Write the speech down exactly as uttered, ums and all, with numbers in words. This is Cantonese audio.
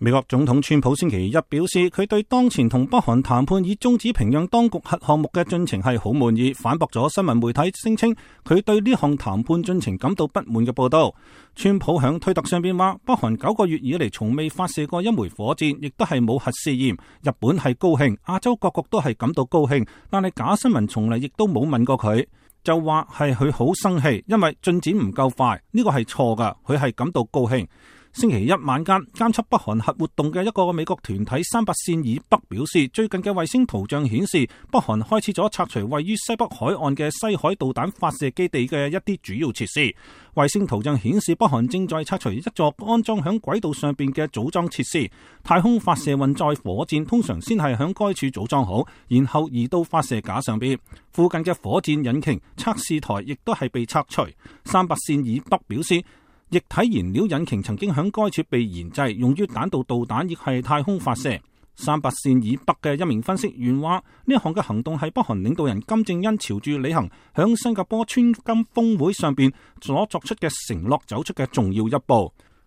美國總統川普星期一表示，佢對當前同北韓談判以終止平壤當局核項目嘅進程係好滿意，反駁咗新聞媒體聲稱佢對呢項談判進程感到不滿嘅報道。川普響推特上邊話，北韓九個月以嚟從未發射過一枚火箭，亦都係冇核試驗。日本係高興，亞洲各國都係感到高興，但係假新聞從嚟亦都冇問過佢，就話係佢好生氣，因為進展唔夠快，呢個係錯噶，佢係感到高興。星期一晚間，監測北韓核活動嘅一個美國團體三八線以北表示，最近嘅衛星圖像顯示，北韓開始咗拆除位於西北海岸嘅西海導彈發射基地嘅一啲主要設施。衛星圖像顯示，北韓正在拆除一座安裝響軌道上邊嘅組裝設施。太空發射運載火箭通常先係響該處組裝好，然後移到發射架上邊。附近嘅火箭引擎測試台亦都係被拆除。三八線以北表示，液體燃料引擎曾經響該處被研製，用於彈道導彈亦係太空發射。三八線以北嘅一名分析員話，呢一項嘅行動係北韓領導人金正恩朝住履行響新加坡川金峰會上邊所作出嘅承諾走出嘅重要一步。